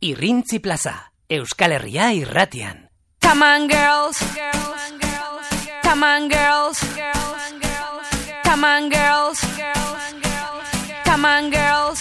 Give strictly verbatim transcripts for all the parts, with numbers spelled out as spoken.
Irrintzi plaza, Euskal Herria irratian. Come on girls, come on girls, come on girls, come on girls.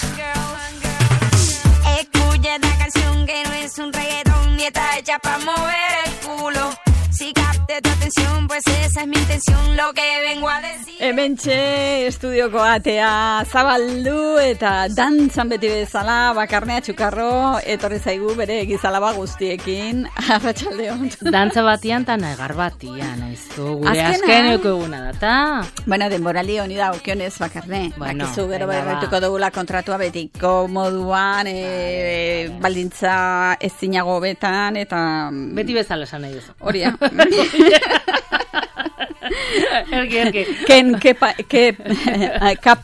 Escucha esta canción que no es un reggaetón ni está hecha para mover el culo. Si capte tu atención, pues esa es mi intención, lo que vengo a decir. Hementxe estudioko atea zabaldu eta dantzan beti bezala Bakarnea Txukarro etorri zaigu bere gizalaba guztiekin. Arratsaldeon. Dantza batian eta negar batian, aizu. Gure azkeneko eguna data. Bueno, denboraldi honi da okionez Bakarne. Bueno, Bakizu gero bairretuko dugula kontratua betiko moduan, e, baldintza ez zinago betan eta... Beti bezala esan nahi duzu. Hori da. Erki, erki. Ken K P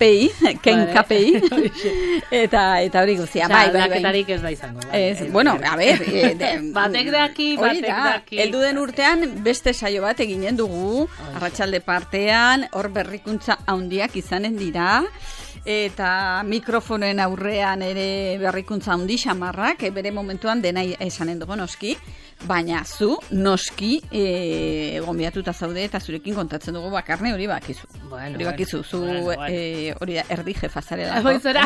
I, Ken K P I. Eta eta hori guztia, bai, bai, bai. Aldaketarik ez da izango. Ez, bueno, a ver, batek daki, batek daki. Heldu den urtean beste saio bat eginen dugu, arratsalde partean, hor berrikuntza handiak izanen dira. Eta mikrofonoen aurrean ere berrikuntza handi xamarrak, bere momentuan dena esanen dugu noski, baina zu noski e, gonbiatuta zaude eta zurekin kontatzen dugu Bakarne hori bakizu. Bueno, hori bakizu, zu bueno, bueno. E, hori da, erdi jefa zarela. Hoizera.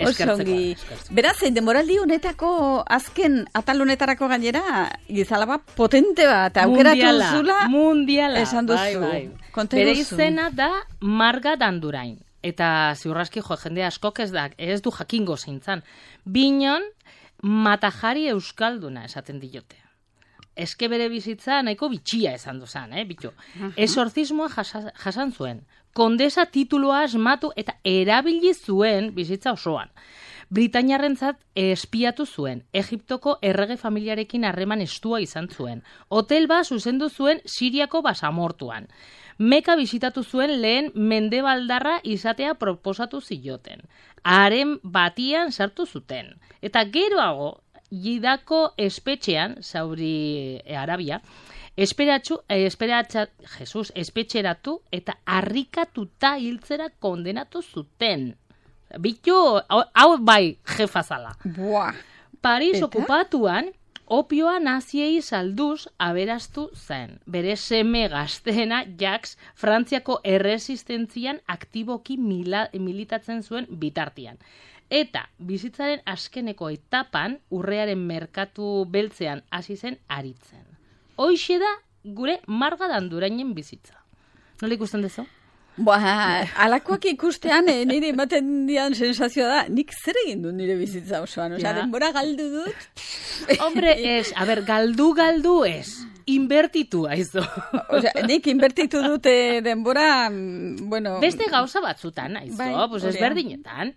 Osongi. Beraz, denboraldi honetako azken atal honetarako gainera gizalaba potente bat aukeratu duzula. Mundiala. Esan duzu. Bai, bai. Bere izena da Marga Dandurain. Eta ziurraski jo jende askok ez da, ez du jakingo zeintzan. Binon matajari euskalduna esaten diote. Eske bere bizitza nahiko bitxia esan duzan, eh, bitxo. Uh-huh. Esorzismoa jasa, jasan zuen. Kondesa titulua asmatu eta erabili zuen bizitza osoan. Britainiarrentzat espiatu zuen. Egiptoko errege familiarekin harreman estua izan zuen. Hotel bat zuzendu zuen Siriako basamortuan. Meka bisitatu zuen lehen mendebaldarra izatea proposatu zioten. Haren batian sartu zuten. Eta geroago, Jidako espetxean, Saudi Arabia, esperatxu, esperatxa, Jesus, espetxeratu eta harrikatuta hiltzera kondenatu zuten. Bitu, hau bai jefazala. Buah. Paris eta? Okupatuan, opioa naziei salduz aberastu zen. Bere seme gazteena Jacques Frantziako erresistentzian aktiboki mila, militatzen zuen bitartian. Eta bizitzaren azkeneko etapan urrearen merkatu beltzean hasi zen aritzen. Hoixe da gure Marga Dandurainen bizitza. Nola ikusten dezu? Ba, alakoak ikustean eh, nire ematen dian sensazioa da, nik zer egin du nire bizitza osoan, osea, Ja. denbora galdu dut. Hombre, ez, a ber, galdu, galdu ez. Inbertitu, aizu. Osea, nik inbertitu dute denbora, mm, bueno... Beste gauza batzutan, aizu, Bai, pues hori da. ezberdinetan.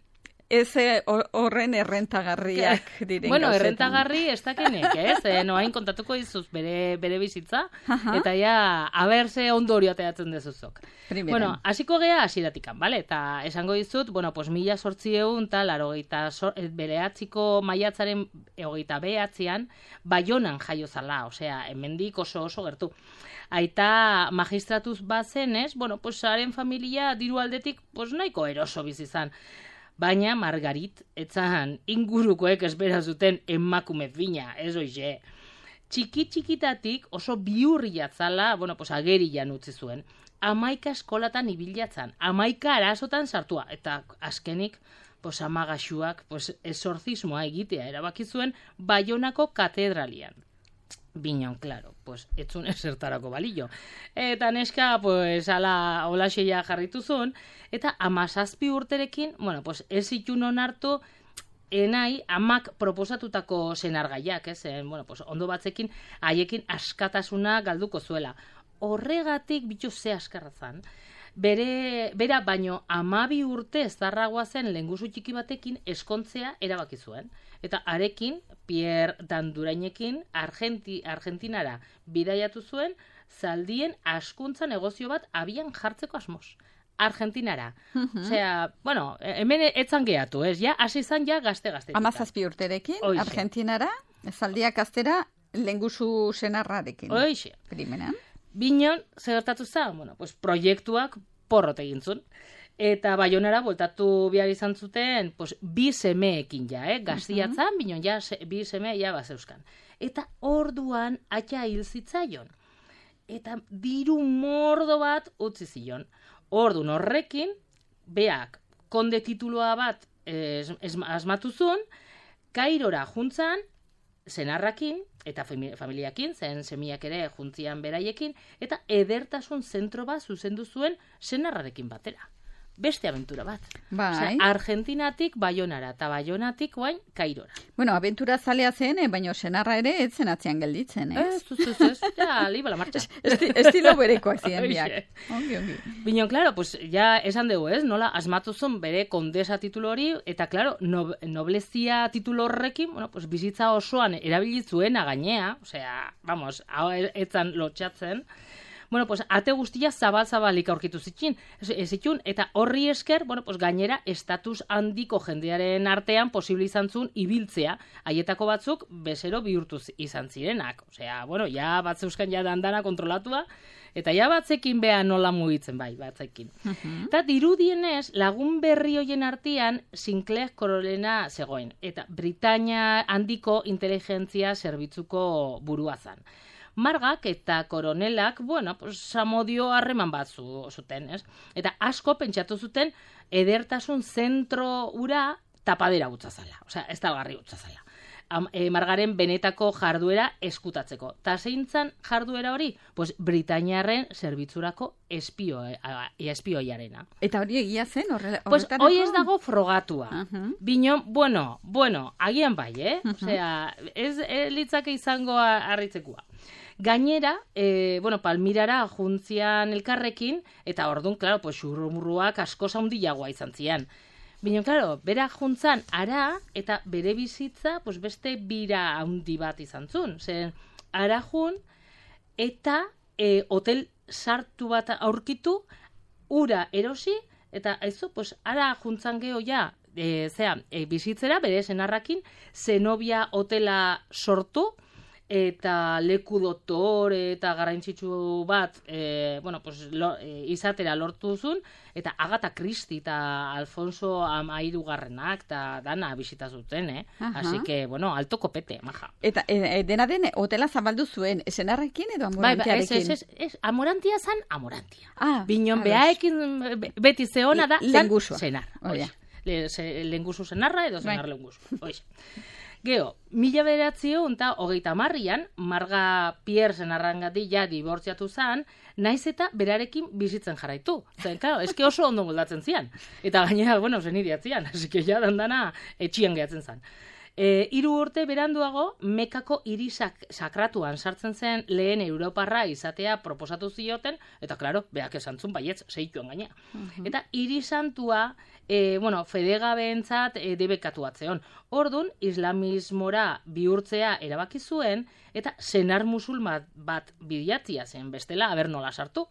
Ez eh, horren errentagarriak diren Bueno, gauzetan. errentagarri ez dakenek, ez? Eh, noain kontatuko dizuz bere, bere bizitza, Aha. eta ja, aberze ondorio ateratzen dezuzok. Primeran. Bueno, hasiko gea hasiratikan, bale? Eta esango dizut, bueno, pues mila sortzieun, eta laro geita bereatziko maiatzaren egoita behatzean, Baionan jaio zala, osea, hemendik oso oso gertu. Aita magistratuz bazen, ez? Bueno, pues haren familia diru aldetik, pues nahiko eroso bizizan. Baina Margarit etzan ingurukoek espera zuten emakume fina, ez oixe. Txiki txikitatik oso biurri jatzala, bueno, pues agerian utzi zuen. Amaika eskolatan ibilatzan, amaika arazotan sartua, eta azkenik, pues amagaxuak, pues esorzismoa egitea erabaki zuen Baionako katedralian. Binon, claro, pues etzun esertarako balillo. Eta neska, pues, ala olaxeia jarritu zuen, eta amazazpi urterekin, bueno, pues ez zitun onartu enai amak proposatutako senargaiak, ez? En, bueno, pues ondo batzekin haiekin askatasuna galduko zuela. Horregatik bitu ze askarrazan, bere, bera baino amabi urte ezarragoa zen lengusu txiki batekin eskontzea erabaki zuen. Eta arekin, Pierre Dandurainekin, Argenti, Argentinara bidaiatu zuen, zaldien askuntza negozio bat abian jartzeko asmoz. Argentinara. Mhm. Osea, bueno, hemen etzan gehatu, ez? Ja, hasi izan ja gazte-gazte. Amazazpi urterekin, Hoixe. Argentinara, zaldiak aztera, lengusu senarrarekin. Hoixe. Primeran. Binon, zer gertatu zen? Bueno, pues proiektuak porrot egin zuen. Eta Baionara voltatu behar izan zuten, pues, bi semeekin ja, eh? Gaztiatzan, uh-huh. binon, ja, se, bi seme ja bazeuskan. Eta orduan atxa hil zitzaion. Eta diru mordo bat utzi zion. Ordun horrekin, beak, konde tituloa bat es, es, asmatu zuen, Kairora juntzan, senarrakin, eta familiakin, zen semiak ere juntzian beraiekin, eta edertasun zentro bat zuzendu zuen senarrarekin batera. Beste abentura bat. Bai. Osea, Argentinatik Baionara, eta Baionatik guain Kairora. Bueno, abentura zalea zen, eh, baina senarra ere ez zen atzean gelditzen, eh? Ez, ez, ez, ez, ja, liba la marcha. Esti, estilo berekoak ziren biak. Ongi, ongi. Bino, claro, pues, ja esan dugu, ez, nola, asmatu zuen bere kondesa titulo hori, eta, claro, no, noblezia titulo horrekin, bueno, pues, bizitza osoan erabilitzuena gainea, osea, vamos, hau etzan lotxatzen, bueno, pues, ate guztia zabal-zabalik aurkitu zitzin, zitun, eta horri esker, bueno, pues, gainera, estatus handiko jendearen artean posible izan zuen ibiltzea, haietako batzuk bezero bihurtu izan zirenak. Osea, bueno, ja batzeuskan ja dandana kontrolatua, eta ja batzekin beha nola mugitzen, bai, batzekin. Uh-huh. Eta dirudienez, lagun berri hoien artean, Sinclair Korolena zegoen, eta Britania handiko inteligentzia zerbitzuko burua zan. Margak eta koronelak, bueno, pues, samodio harreman bat zu, zuten, ez? Eta asko pentsatu zuten edertasun zentro ura tapadera utzazala. Osea, ez talgarri utzazala. E, Margaren benetako jarduera eskutatzeko. Ta zeintzan jarduera hori? Pues Britainiarren zerbitzurako espio, espioiarena. Eta hori egia zen horrela? Pues hoi ez dago frogatua. Uh-huh. Bino, bueno, bueno, agian bai, eh? Uh-huh. Osea, ez e, litzake izango harritzekoa. Gainera, e, bueno, Palmirara juntzian elkarrekin, eta orduan, claro, pues, xurrumurruak asko zaundiagoa izan zian. Bino, claro, bera juntzan ara, eta bere bizitza, pues, beste bira handi bat izan zuen. Zer, ara jun, eta e, hotel sartu bat aurkitu, ura erosi, eta aizu, pues, ara juntzan geho ja, e, zera, e, bizitzera, bere senarrakin, Zenobia hotela sortu, eta leku doktore eta garrantzitsu bat e, bueno, pues, lo, e, izatera lortu duzun, eta Agatha Christie eta Alfonso Amairugarrenak eta dana bisita zuten, eh? Así que, bueno, alto kopete, maja. Eta e, dena den, hotela zabaldu zuen, esenarrekin edo amorantiarekin? Bai, ez, ez, ez, amorantia zan, amorantia. Ah, Binon behaekin beti zeona da, zan senar. Oh, ja. Le, se, lenguzu senarra edo senar lenguzu. Oiz. Geo, mila bederatzio eta hogeita marrian, Marga Pierre senarrangatik ja dibortziatu zan, naiz eta berarekin bizitzen jarraitu. Zen, claro, eske oso ondo moldatzen zian. Eta gainera, bueno, zen iriatzian, así que ja dandana etxian gehatzen zan. E, hiru urte beranduago, Mekako hiri sak, sakratuan sartzen zen lehen Europarra izatea proposatu zioten, eta, klaro, beak esantzun baietz, seituan gaina. Uh-huh. Eta hiri santua, e, bueno, fedegabeentzat e, debekatu atzeon. Ordun, islamismora bihurtzea erabaki zuen, eta senar musulman bat bidiatzia zen bestela, aber nola sartu.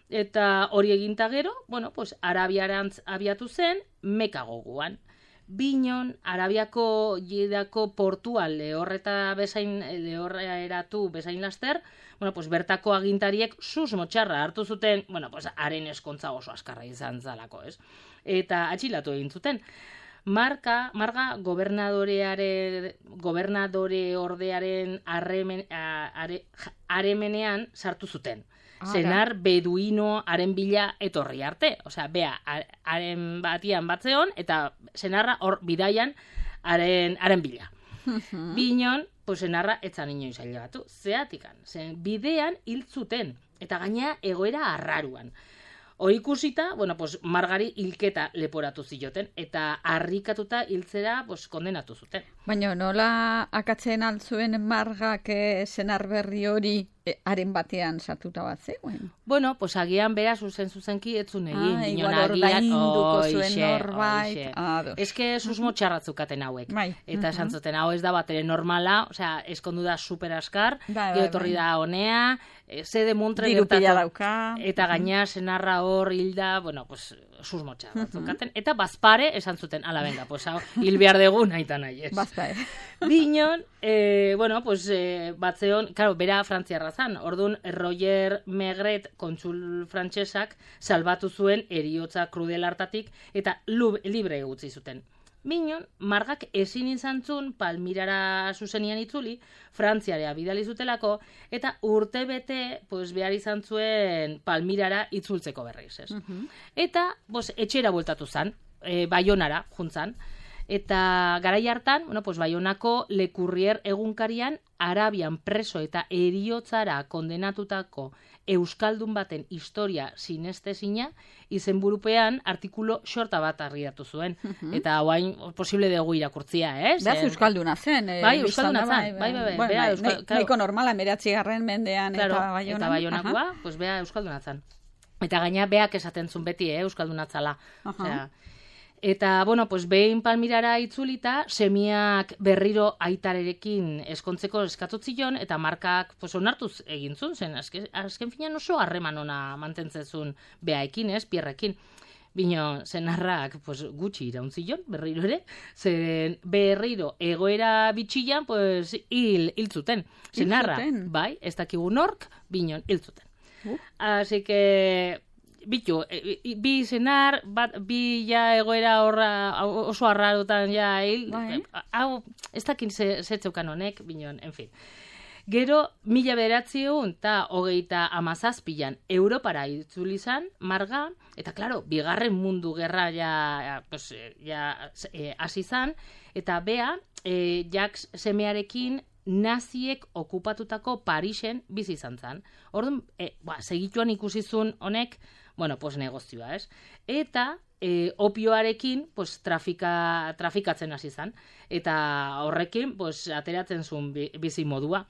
Eta hori eginta gero, bueno, pues, Arabiarantz abiatu zen, Meka goguan. Binon, Arabiako jidako portuan lehorreta bezain, lehorra eratu bezain laster, bueno, pues bertako agintariek sus motxarra hartu zuten, bueno, pues haren eskontza oso askarra izan zalako, ez? Eta atxilatu egin zuten. Marka, Marga gobernadoreare, gobernadore ordearen arremen, are, aremenean sartu zuten. Senar beduino haren bila etorri arte. Osea, bea, haren batian batzeon, eta senarra hor bidaian haren, haren bila. Binon, pues senarra etzan inoiz ailebatu. Zeatikan, zen bidean hil zuten, eta gaina egoera arraruan. Hori ikusita, bueno, pues Margari hilketa leporatu zioten, eta harrikatuta hiltzera pues, kondenatu zuten. Baina nola akatzen altzuen Margak eh, senar berri hori eh, haren batean sartuta bat zegoen? Bueno, pues agian bera zuzen zuzenki etzun egin. Ah, igual ordainduko zuen norbait. Ez que susmo txarratzukaten hauek. Bai. Eta esan uh-huh. zuten, hau ez da bat ere normala, osea, eskondu da super askar, bai, gero etorri bai. da honea, ze de montre diru pila dauka. Eta gaina senarra hor hilda, bueno, pues, susmotxa batzukaten, eta bazpare esan zuten, ala benga, pues hau, hil behar dugu nahi eta nahi ez. Bazpare. Binon, eh, bueno, pues eh, batzeon, claro, bera frantziarra zan, orduan Roger Megret kontsul frantsesak salbatu zuen eriotza krudel hartatik, eta lub, libre utzi zuten. Binon, margak ezin izan zuen Palmirara zuzenian itzuli, Frantziarea bidali zutelako, eta urte bete pues, behar izan zuen Palmirara itzultzeko berriz. Ez. Uh-huh. Eta pues, etxera bueltatu zan, e, Baionara juntzan, eta garai hartan, bueno, pues, Baionako Le Courrier egunkarian Arabian preso eta eriotzara kondenatutako euskaldun baten historia sinestezina izenburupean artikulu xorta bat argiatu zuen. Uh-huh. Eta hauain posible dugu irakurtzia, eh? Beaz euskalduna zen. Eh, bai, euskalduna zen. Bai, bai, bai. Bueno, bea, bai, euskal, nahi, nahiko normala, meratzigarren mendean claro, eta Baionan. Eta Baionakoa, pues bea euskalduna zen. Eta gaina beak esaten zuen beti, eh, euskaldunatzala. Uh-huh. Osea, eta, bueno, pues behin Palmirara itzulita, semiak berriro aitarerekin eskontzeko eskatutzion, eta markak pues, onartuz egin zuen, zen, azken, azken finean oso harreman ona mantentzezun beaekin, ez, Pierrekin. Bino, senarrak pues, gutxi irauntzilon, berriro ere, zen berriro egoera bitxilan, pues, hil, hil zuten. Senarra, bai, ez dakigu nork, binon, hil zuten. Uh. Así que... Bitu, bi zenar, bat, bi ja egoera horra oso arrarotan ja hil, bai. Hau, ez dakin zetzeukan honek, binon, en fin. Gero, mila bederatziehun eta hogeita amazazpilan Europara itzuli izan, marga, eta klaro, bigarren mundu gerra ja, pues, ja eh, hasi zan, eta bea, eh, Jacques semearekin naziek okupatutako Parisen bizi izan zan. Orduan, eh, ba, segituan ikusizun honek, bueno, pues negozioa, ez? Eta e, opioarekin pues, trafika, trafikatzen hasi zan. Eta horrekin pues, ateratzen zuen bizi modua.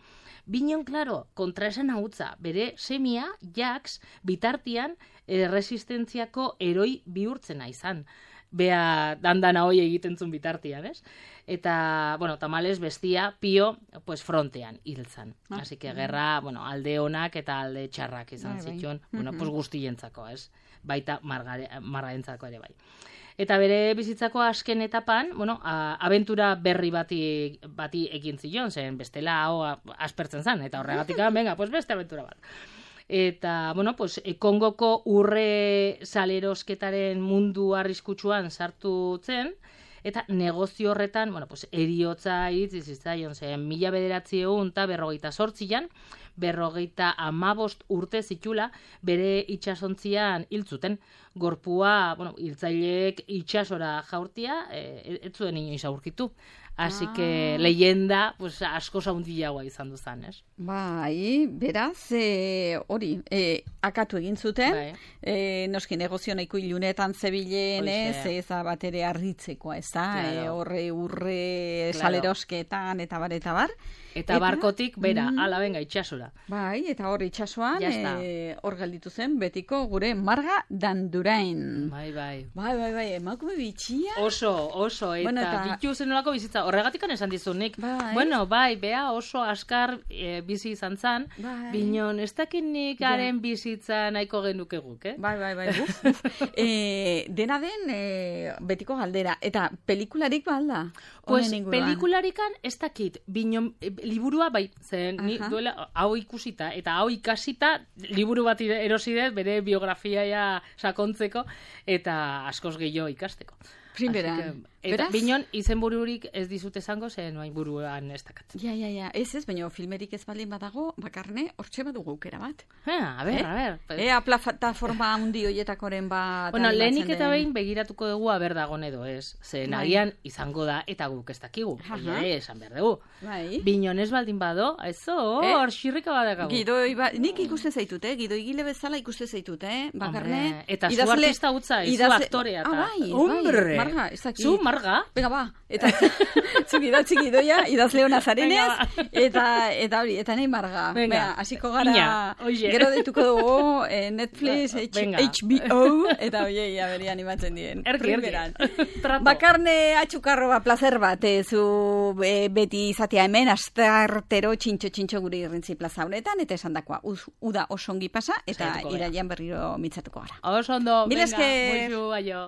Binon, klaro, kontraesan hautza, bere semia, Jacques, bitartian e, resistentziako eroi bihurtzena izan. Bea dandana hoi egiten zuen bitartian, ez? Eta, bueno, tamales bestia pio, pues frontean hiltzan. Ah, Así que gerra, bueno, alde onak eta alde txarrak izan bai, zituen, bai. Bueno, pues guztientzako, ez? Baita margarentzako ere bai. Eta bere bizitzako azken etapan, bueno, a, abentura berri bati, bati egin zion, zen bestela hau aspertzen zan, eta horregatik, venga, pues beste abentura bat. Eta, bueno, pues, Kongoko urre salerosketaren mundu arriskutsuan sartu zen, eta negozio horretan, bueno, pues, eriotza iritzi zitzaion zen, mila bederatziehun eta berrogeita sortzian, berrogeita amabost urte zitula, bere itxasontzian hiltzuten. Gorpua, bueno, hiltzaileek itxasora jaurtia, e, ez zuen inoiz aurkitu. Así ah. que leyenda, pues, asko zaundiagoa izan duzan, ez? Bai, beraz, hori, e, e, akatu egin zuten, bai. e, noski negozio nahiko ilunetan zebilen, ez, ez bat ere arritzekoa, ez da, claro. e, horre urre claro. salerosketan, eta bar, eta bar. Eta, eta barkotik, bera, mm, ala benga, itxasora. Bai, eta hor itxasoan, e, hor galditu zen, betiko gure Marga Dandurain. Bai, bai. Bai, bai, bai, emakume bitxia. Oso, oso, eta, bueno, eta... bitu zenolako bizitza, horregatikan esan dizunik. Bai. Bueno, bai, bea oso askar e, bizi izan zan, bai. Binon, ez dakinik haren ja. bizitza nahiko genuke guk, eh? Bai, bai, bai, uf, uf. e, dena den, e, betiko galdera, eta pelikularik balda? Pues, pelikularikan ez dakit, binon, liburua bai, zen, ni duela hau ikusita, eta hau ikasita, liburu bat erosidet, bere biografiaia sakontzeko, eta askoz gehiago ikasteko. Primeran. Eta binon, izenbururik ez dizut esango, zen noain buruan ez dakat. Ja, ja, ja, ez ez, baina filmerik ez balin badago, bakarne, hortxe badugu aukera bat. Ah, a ber, eh? a ber. Pues... Ea, plataforma handi hoietakoren bat... Bueno, lehenik eta behin begiratuko dugu aber dagon edo ez. Zen agian izango da, eta guk ez dakigu. Oia, esan behar dugu. Bai. Binon ez baldin bado, ezo, hor, eh? xirrika badakagu. Gidoi, ba... nik ikusten zaitut, eh? Gidoi gile bezala ikusten zaitut, eh? Bakarne... Hombre, eta zu artista utza, zu aktorea. Ah, bai, Hombre, bai. Marga, ez dakit. Zu, Marga? Venga, ba, eta zuk idatzi gidoia, idazleo nazarenez, eta, eta hori, eta nahi Marga. Venga, hasiko gara, Ina, gero deituko dugu eh, Netflix, H B O, eta oiei, aberi animatzen dien. Erki, erki. Bakarne atxukarroa placer bat, eh, zu eh, beti izatea hemen, astartero txintxo-txintxo guri irrintzi plaza honetan, eta esan dakoa, uda osongi pasa, eta iraian berriro mitzatuko gara. Oso ondo, venga, muixu, aio.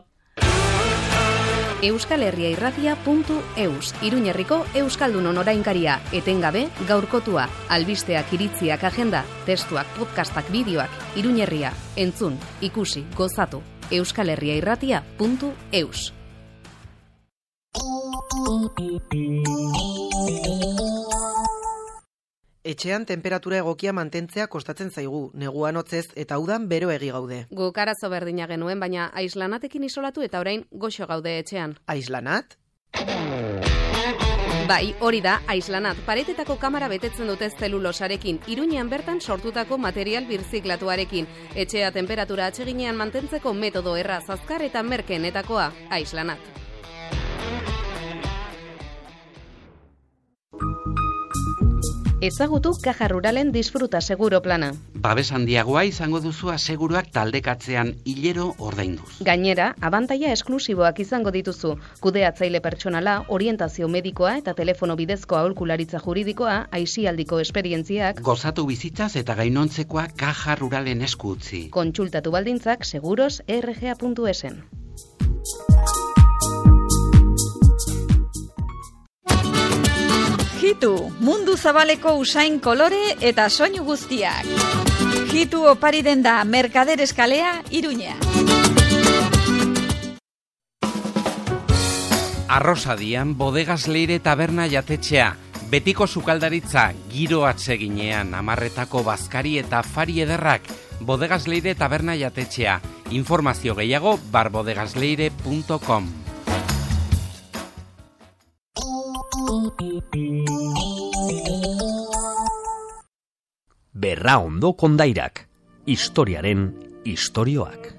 euskal herria irratia puntu eus, Iruñerriko Euskaldunon orainkaria, etengabe, gaurkotua, albisteak, iritziak, agenda, testuak, podcastak, bideoak, Iruñerria, entzun, ikusi, gozatu, euskal herria irratia puntu eus. Etxean temperatura egokia mantentzea kostatzen zaigu, neguan hotzez eta udan bero egi gaude. Guk arazo berdina genuen, baina aislanatekin isolatu eta orain goxo gaude etxean. Aislanat? Bai, hori da, aislanat. Paretetako kamera betetzen dute zelulosarekin, Iruñean bertan sortutako material birziklatuarekin. Etxea temperatura atseginean mantentzeko metodo erraz, azkar eta merkeenetakoa, aislanat. Ezagutu Caja Ruralen disfruta seguro plana. Babes handiagoa izango duzu aseguruak taldekatzean hilero ordainduz. Gainera, abantaila esklusiboak izango dituzu. Kudeatzaile pertsonala, orientazio medikoa eta telefono bidezko aholkularitza juridikoa, aisialdiko esperientziak. Gozatu bizitzaz eta gainontzekoa Caja Ruralen esku utzi. Kontsultatu baldintzak seguros erre ge a puntu esen. Hitu, mundu zabaleko usain kolore eta soinu guztiak. Hitu opari den da Merkader eskalea, Iruña. Arrosadian, Bodegas Leire taberna jatetxea. Betiko sukaldaritza, giro atseginean, amarretako bazkari eta fari ederrak. Bodegas Leire taberna jatetxea. Informazio gehiago, barbodegasleire puntu com. Berra ondo kondairak, historiaren istorioak.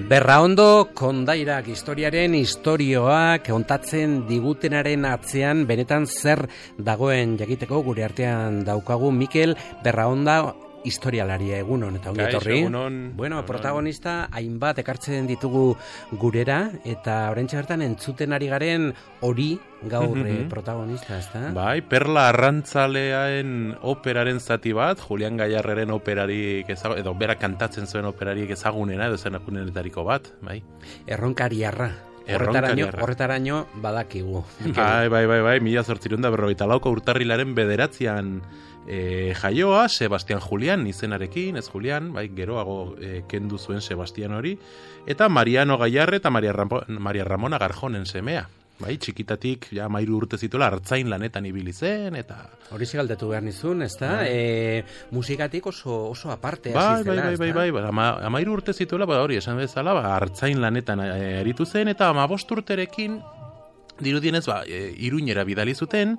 Berraondo kondairak historiaren istorioak kontatzen digutenaren atzean benetan zer dagoen jakiteko gure artean daukagu Mikel Berraonda historialaria, egunon eta ongi etorri. Bueno, protagonista hainbat ekartzen ditugu gurera eta oraintxe bertan entzuten ari garen hori gaur eh, protagonista, ezta? Bai, Perla Arrantzaleaen operaren zati bat, Julian Gallarreren operarik ezagun, edo berak kantatzen zuen operarik ezagunena, edo zenakunenetariko bat, bai. Erronkariarra. Horretaraino, horretaraino badakigu. Bai, bai, bai, bai, mila zortzirun da berrogeita lauko urtarrilaren bederatzean e, jaioa, Sebastian Julian izenarekin, ez Julian, bai, geroago e, kendu zuen Sebastian hori, eta Mariano Gallarre eta Maria, Rampo, Maria Ramona Garjonen semea. Bai, txikitatik, ja, mairu urte zituela, hartzain lanetan ibili zen, eta... Hori galdetu behar nizun, ez da? E, musikatik oso, oso aparte bai, hasi zela, bai, bai, bai, bai, ama, amairu urte zituela, ba, hori, esan bezala, ba, hartzain lanetan eritu zen, eta amabost urterekin dirudienez, ba, e, Iruñera bidali zuten,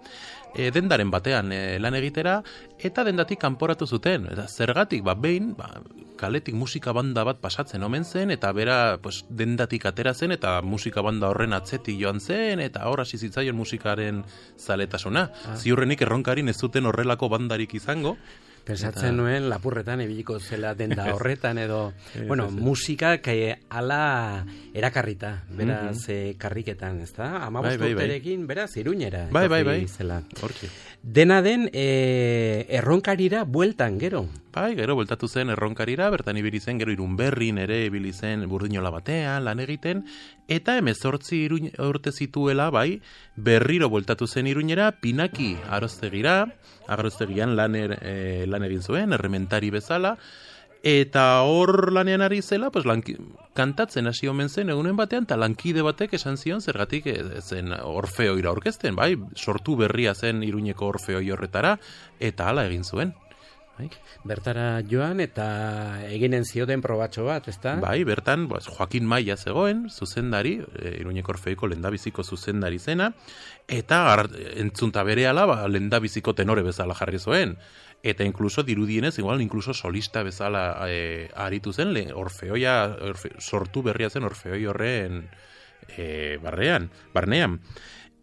e, dendaren batean e, lan egitera, eta dendatik kanporatu zuten. Eta zergatik, ba, behin, ba, kaletik musika banda bat pasatzen omen zen, eta bera pues, dendatik atera zen, eta musika banda horren atzetik joan zen, eta hor hasi zitzaion musikaren zaletasuna. Ah. Ziurrenik erronkarin ez zuten horrelako bandarik izango. Pensatzen eta... nuen lapurretan ebiliko zela denda horretan edo, ez, bueno, ez, ez. musikak eh, ala erakarrita, beraz, mm -hmm. eh, karriketan, ez da? Amabost bai, bai, urterekin, beraz, Iruñera. Bai, bai, bai. Zela. Hortxe. Dena den, eh, erronkarira bueltan, gero. Bai, gero, bueltatu zen erronkarira, bertan ibili zen, gero Irunberrin ere ibili zen Burdinola batean, lan egiten, eta hemezortzi urte zituela, bai, berriro bueltatu zen Iruñera, Pinaki Aroztegira, Aroztegian lan, er, e, lan egin zuen, errementari bezala, eta hor lanean ari zela, pues, lanki, kantatzen hasi omen zen egunen batean, eta lankide batek esan zion, zergatik zen Orfeoira orkesten, bai, sortu berria zen Iruñeko Orfeoi horretara, eta hala egin zuen. Bertara joan eta eginen zioten probatxo bat, ezta? Bai, bertan pues, Joaquin Maia zegoen, zuzendari, e, Iruñeko Orfeoiko lehendabiziko zuzendari zena, eta entzunta berehala ba, lehendabiziko tenore bezala jarri zuen. Eta inkluso dirudienez, igual, inkluso solista bezala e, aritu zen, le, Orfeoia, orfe, sortu berria zen Orfeoi horren e, barrean, barnean.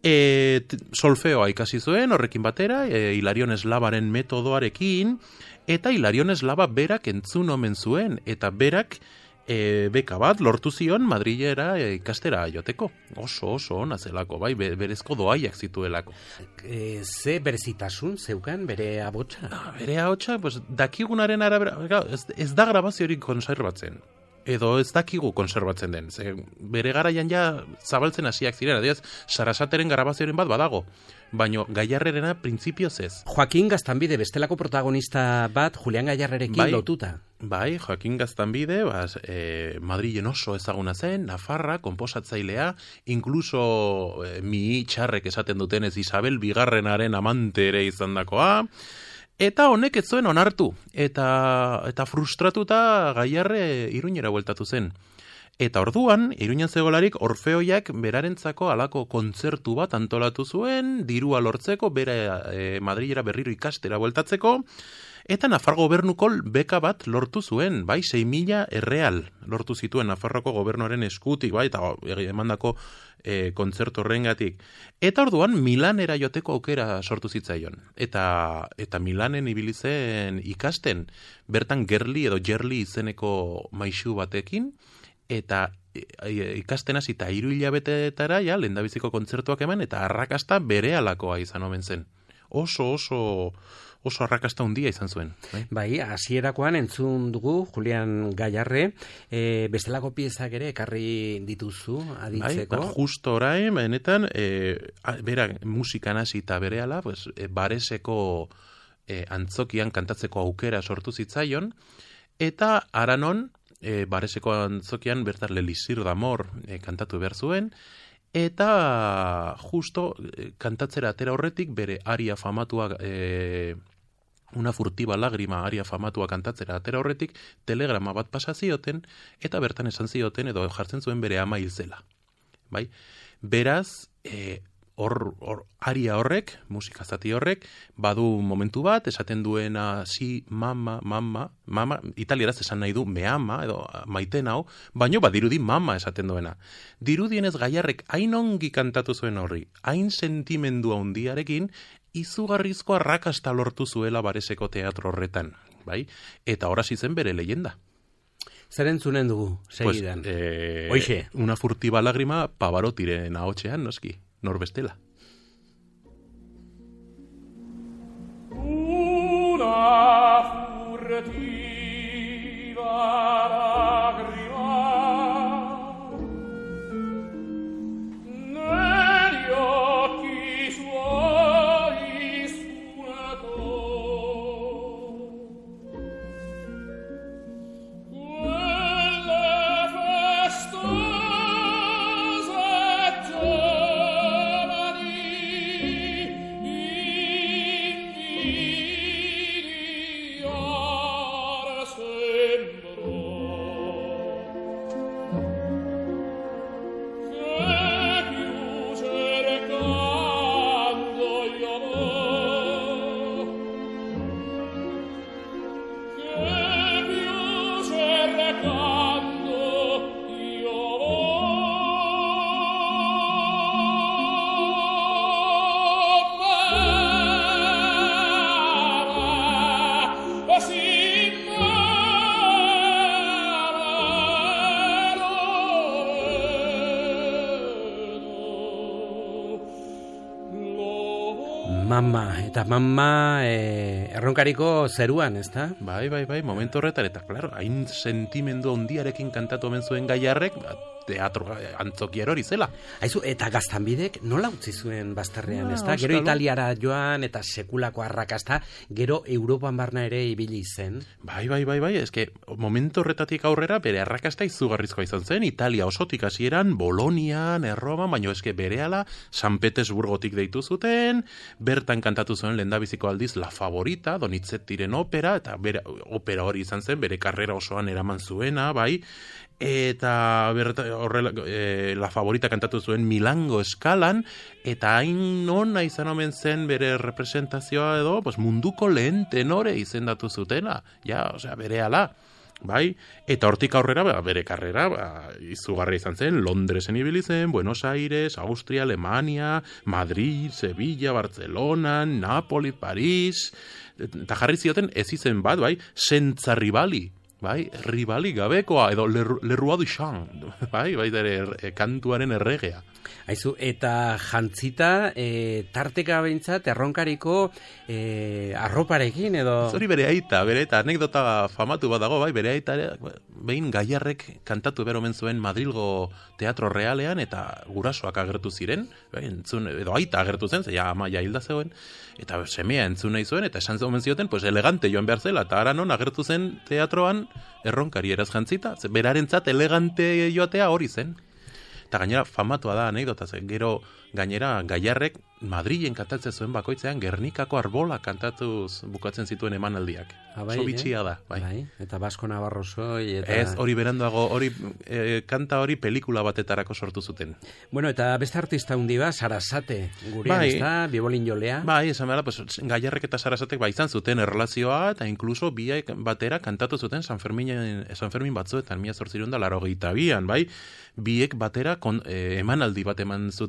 E, solfeoa ikasi zuen, horrekin batera, e, Hilarion Eslabaren metodoarekin, eta Hilarion Eslaba berak entzun omen zuen, eta berak e, beka bat lortu zion Madrilera e, ikastera joteko. Oso, oso ona zelako, bai, berezko doaiak zituelako. E, ze berezitasun zeukan bere abotsa? Ah, bere abotsa, pues, dakigunaren arabera, ez, ez da grabaziorik konserbatzen. Edo ez dakigu konserbatzen den. Ze, bere garaian ja zabaltzen hasiak ziren, adiaz, Sarasateren grabazioaren bat badago, baino Gaiarrerena printzipioz ez. Joaquin Gaztanbide bestelako protagonista bat Julian Gaiarrerekin bai, lotuta. Bai, Joaquin Gaztanbide, bas, e, Madrilen oso ezaguna zen, Nafarra, konposatzailea, inkluso e, mi txarrek esaten dutenez Isabel Bigarrenaren amante ere izandakoa. Eta honek ez zuen onartu, eta, eta frustratuta Gaiarre Iruñera bueltatu zen. Eta orduan, Iruñan zegolarik Orfeoiak berarentzako halako kontzertu bat antolatu zuen, dirua lortzeko, bera e, Madrilera berriro ikastera bueltatzeko, eta Nafar gobernuko beka bat lortu zuen, bai, sei mila erreal lortu zituen Nafarroko gobernuaren eskutik, bai, eta emandako e, kontzertu horrengatik. Eta orduan Milanera joteko aukera sortu zitzaion. Eta, eta Milanen ibili zen ikasten, bertan Gerli edo Gerli izeneko maixu batekin, eta ikasten hasi eta hiru hilabetetara ja lehendabiziko kontzertuak eman, eta arrakasta berehalakoa izan omen zen. Oso, oso... oso arrakasta handia izan zuen. Bai, bai hasierakoan entzun dugu Julian Gaiarre, e, bestelako piezak ere ekarri dituzu aditzeko. Bai, justo orain, benetan, e, bera musikan hasi eta berehala, pues, e, Bareseko e, antzokian kantatzeko aukera sortu zitzaion, eta Aranon, e, Bareseko antzokian bertan Lelisir d'Amor e, kantatu behar zuen, eta justo e, kantatzera atera horretik bere aria famatua e, una furtiba lagrima aria famatua kantatzera atera horretik telegrama bat pasa zioten eta bertan esan zioten edo jartzen zuen bere ama hil zela. Bai? Beraz, e, hor, hor aria horrek, musika zati horrek, badu momentu bat, esaten duena si, mama, mama, mama, italieraz esan nahi du me ama, edo maiten hau, baino badirudi mama esaten duena. Dirudienez Gaiarrek hain ongi kantatu zuen horri, hain sentimendu handiarekin, izugarrizko arrakasta lortu zuela Bareseko teatro horretan, bai? Eta horasi zen bere leyenda. Zer entzunen dugu, segidan? Pues, eh, Hoixe. Una furtiba lágrima Pavarotiren ahotsean, noski, norbestela. Una furtiva lágrima negli occhi suoi suonatò. Quelle festose giovani invidiar sembrò. Mama, eta mama e, erronkariko zeruan, ezta? Bai, bai, bai, momentu horretan, eta, klaro, hain sentimendu ondiarekin kantatu omen zuen Gaiarrek, ba, teatro antzokiero hori zela. Aizu, eta Gaztanbidek nola utzi zuen bazterrean, Ah, ezta? Gero auskalo. Italiara joan, eta sekulako arrakasta, gero Europan barna ere ibili zen. Bai, bai, bai, bai, eske momentu horretatik aurrera bere arrakasta izugarrizkoa izan zen, Italia osotik hasieran, Bolonian, Erroman, baina eske berehala San Petersburgotik deitu zuten, bertan kantatu zuen lehendabiziko aldiz La Favorita, Donizettiren opera, eta bere, opera hori izan zen, bere karrera osoan eraman zuena, bai, eta berta, horrela, e, La Favorita kantatu zuen Milango eskalan, eta hain ona izan omen zen bere representazioa edo, pues, munduko lehen tenore izendatu zutena, ja, osea, berehala. Bai, eta hortik aurrera ba, bere karrera ba, izugarria izan zen, Londresen ibili zen, Buenos Aires, Austria, Alemania, Madrid, Sevilla, Barcelona, Napoli, Paris, eta jarri zioten ez izen bat, bai, Senza Rivali, bai, ribali gabekoa, edo Lerroa du Chan, bai, bai, ere kantuaren erregea. Aizu, eta jantzita, e, tarteka behintzat, erronkariko e, arroparekin, edo... Zori bere aita, bere aita, anekdota famatu bat dago, bai, bere aita, behin Gaiarrek kantatu beromen zuen Madrilgo Teatro Realean, eta gurasoak agertu ziren, bai, entzun, edo aita agertu zen, zeia ama ja hilda zegoen, eta semea entzun nahi zuen, eta esan omen zioten, pues elegante joan behar zela, eta ara non agertu zen teatroan erronkari eraz jantzita, berarentzat elegante joatea hori zen. Eta gainera famatua da anekdota, gero gainera Gaiarrek Madrilen kantatzen zuen bakoitzean Gernikako arbola kantatuz bukatzen zituen emanaldiak. Ah, bai, oso bitxia eh? da, bai. Bai. Eta Basko Navarrosoi eta... Ez, hori beranduago, hori e, kanta hori pelikula batetarako sortu zuten. Bueno, eta beste artista hundi ba, Sarasate, gurean, Bai. ezta, bibolin jolea. Bai, esan behar, pues, Gaiarrek eta Sarasatek ba izan zuten erlazioa, eta inkluso biak batera kantatu zuten San Fermin, San Fermin batzuetan, mila zortzirun da, laro gehieta bian, bai? Biek batera kon, eh, emanaldi bat eman zuten